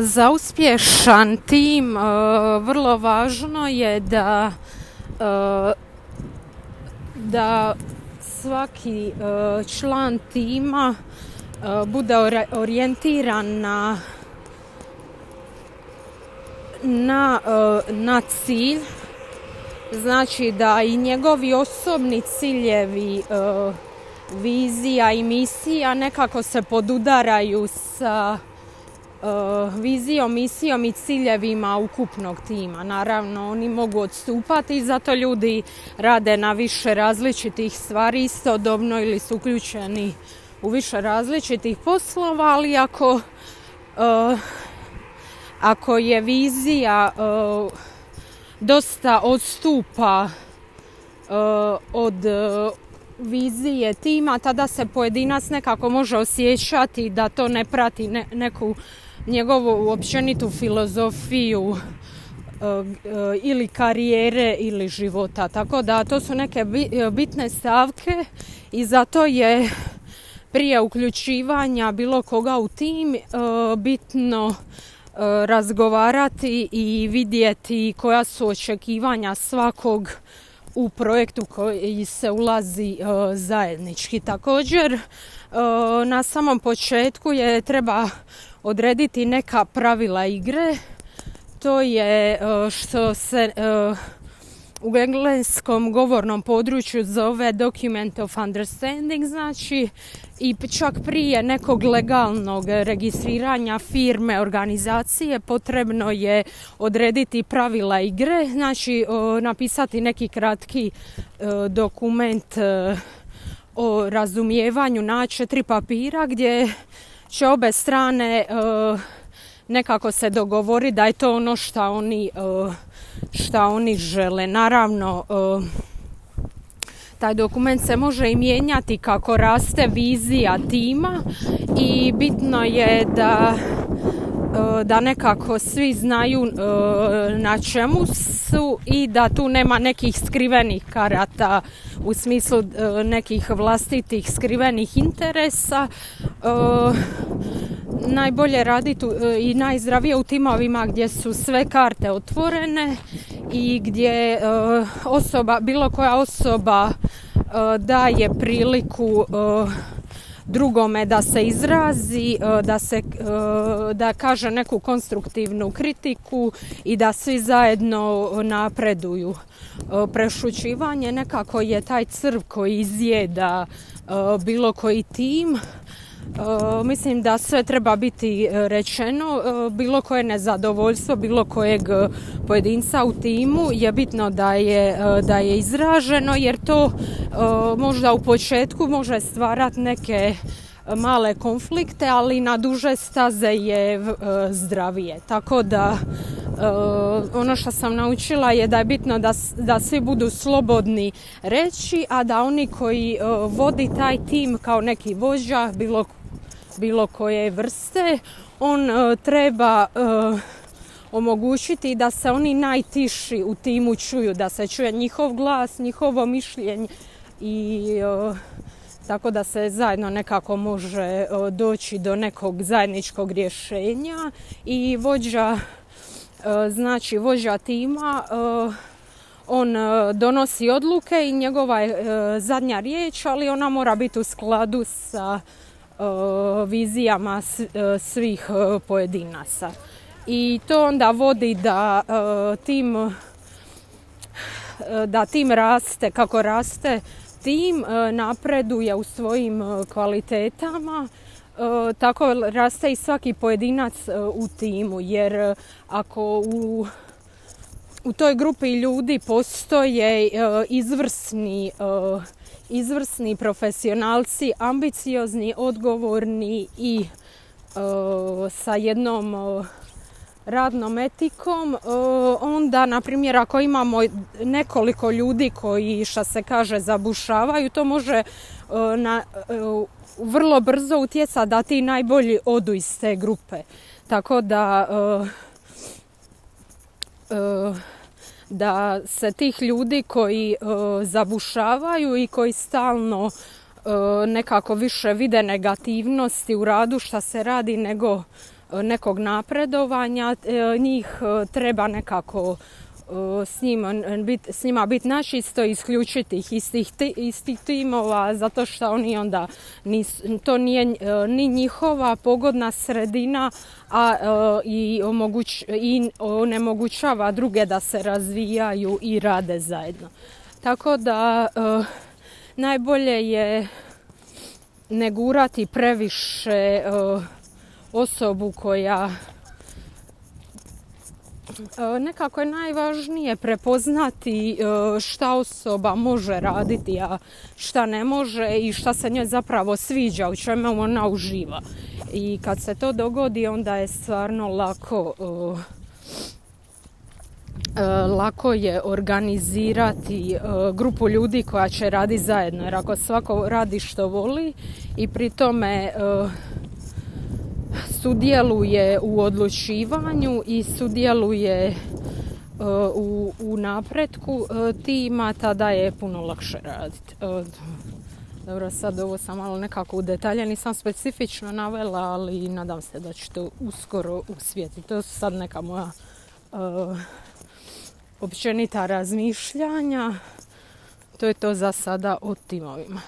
Za uspješan tim vrlo važno je da svaki član tima bude orijentiran na cilj, znači da i njegovi osobni ciljevi, vizija i misija nekako se podudaraju sa vizijom, misijom i ciljevima ukupnog tima. Naravno, oni mogu odstupati i zato ljudi rade na više različitih stvari istodobno ili su uključeni u više različitih poslova, ali ako je vizija dosta odstupa od vizije tima, tada se pojedinac nekako može osjećati da to ne prati neku njegovu općenitu filozofiju ili karijere ili života. Tako da to su neke bitne stavke i zato je prije uključivanja bilo koga u tim bitno razgovarati i vidjeti koja su očekivanja svakog u projektu koji se ulazi zajednički. Također, na samom početku treba odrediti neka pravila igre. To je što se u engleskom govornom području zove document of understanding, znači i čak prije nekog legalnog registriranja firme, organizacije, potrebno je odrediti pravila igre, znači napisati neki kratki dokument o razumijevanju na 4 papira gdje će obe strane nekako se dogovori da je to ono šta oni žele. Naravno, taj dokument se može i mijenjati kako raste vizija tima i bitno je da nekako svi znaju na čemu su i da tu nema nekih skrivenih karata u smislu nekih vlastitih skrivenih interesa. Najbolje raditi i najzdravije u timovima gdje su sve karte otvorene i gdje bilo koja osoba daje priliku drugome da se izrazi, da kaže neku konstruktivnu kritiku i da svi zajedno napreduju. Prešućivanje nekako je taj crv koji izjeda bilo koji tim. Mislim da sve treba biti rečeno, bilo koje nezadovoljstvo bilo kojeg pojedinca u timu je bitno da je izraženo, jer to možda u početku može stvarati neke male konflikte, ali na duže staze je zdravije. Tako da ono što sam naučila je da je bitno da svi budu slobodni reći, a da oni koji vodi taj tim kao neki vođa bilo koje vrste, on treba omogućiti da se oni najtiši u timu čuju, da se čuje njihov glas, njihovo mišljenje i tako da se zajedno nekako može doći do nekog zajedničkog rješenja. I vođa tima, on donosi odluke i njegova je zadnja riječ, ali ona mora biti u skladu sa vizijama svih pojedinaca. I to onda vodi da tim raste, kako raste tim, napreduje u svojim kvalitetama, tako raste i svaki pojedinac u timu, jer ako u toj grupi ljudi postoje izvrsni profesionalci, ambiciozni, odgovorni i sa jednom radnom etikom, onda, na primjer, ako imamo nekoliko ljudi koji, što se kaže, zabušavaju, to može vrlo brzo utjecati da ti najbolji odu iz te grupe. Tako da se tih ljudi koji zabušavaju i koji stalno nekako više vide negativnosti u radu šta se radi nego nekog napredovanja, njih treba nekako s njima biti načisto, isključiti ih iz tih timova, zato što oni onda to nije ni njihova pogodna sredina, a i onemogućava druge da se razvijaju i rade zajedno. Tako da najbolje je ne gurati previše osobu koja nekako je najvažnije prepoznati šta osoba može raditi, a šta ne može i šta se njoj zapravo sviđa, u čemu ona uživa. I kad se to dogodi, onda je stvarno lako je organizirati grupu ljudi koja će raditi zajedno. Jer ako svako radi što voli i pri tome sudjeluje u odlučivanju i sudjeluje u napretku tima, tada je puno lakše raditi. Dobro, sad ovo sam malo nekako u detalje, nisam specifično navela, ali nadam se da ću to uskoro usvjetiti. To su sad neka moja općenita razmišljanja. To je to za sada o timovima.